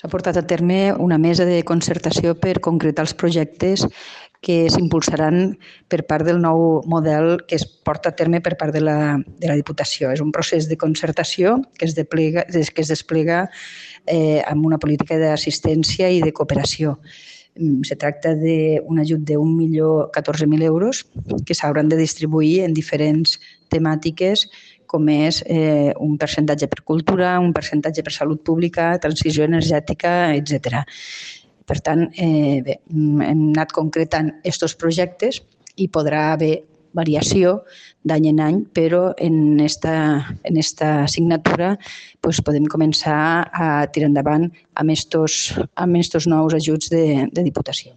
S'ha portat a terme una mesa de concertació per concretar els projectes que s'impulsaran per part del nou model que es porta a terme per part de la Diputació. És un procés de concertació que es desplega amb una política d'assistència i de cooperació. Se tracta d'un ajut de 1.014.000 euros que s'hauran de distribuir en diferents temàtiques com és un percentatge per cultura, un percentatge per salut pública, transició energètica, etc. Per tant, hem anat concretant aquests projectes i podrà haver variació d'any en any, però en esta assignatura podem començar a tirar endavant amb aquests nous ajuts de Diputació.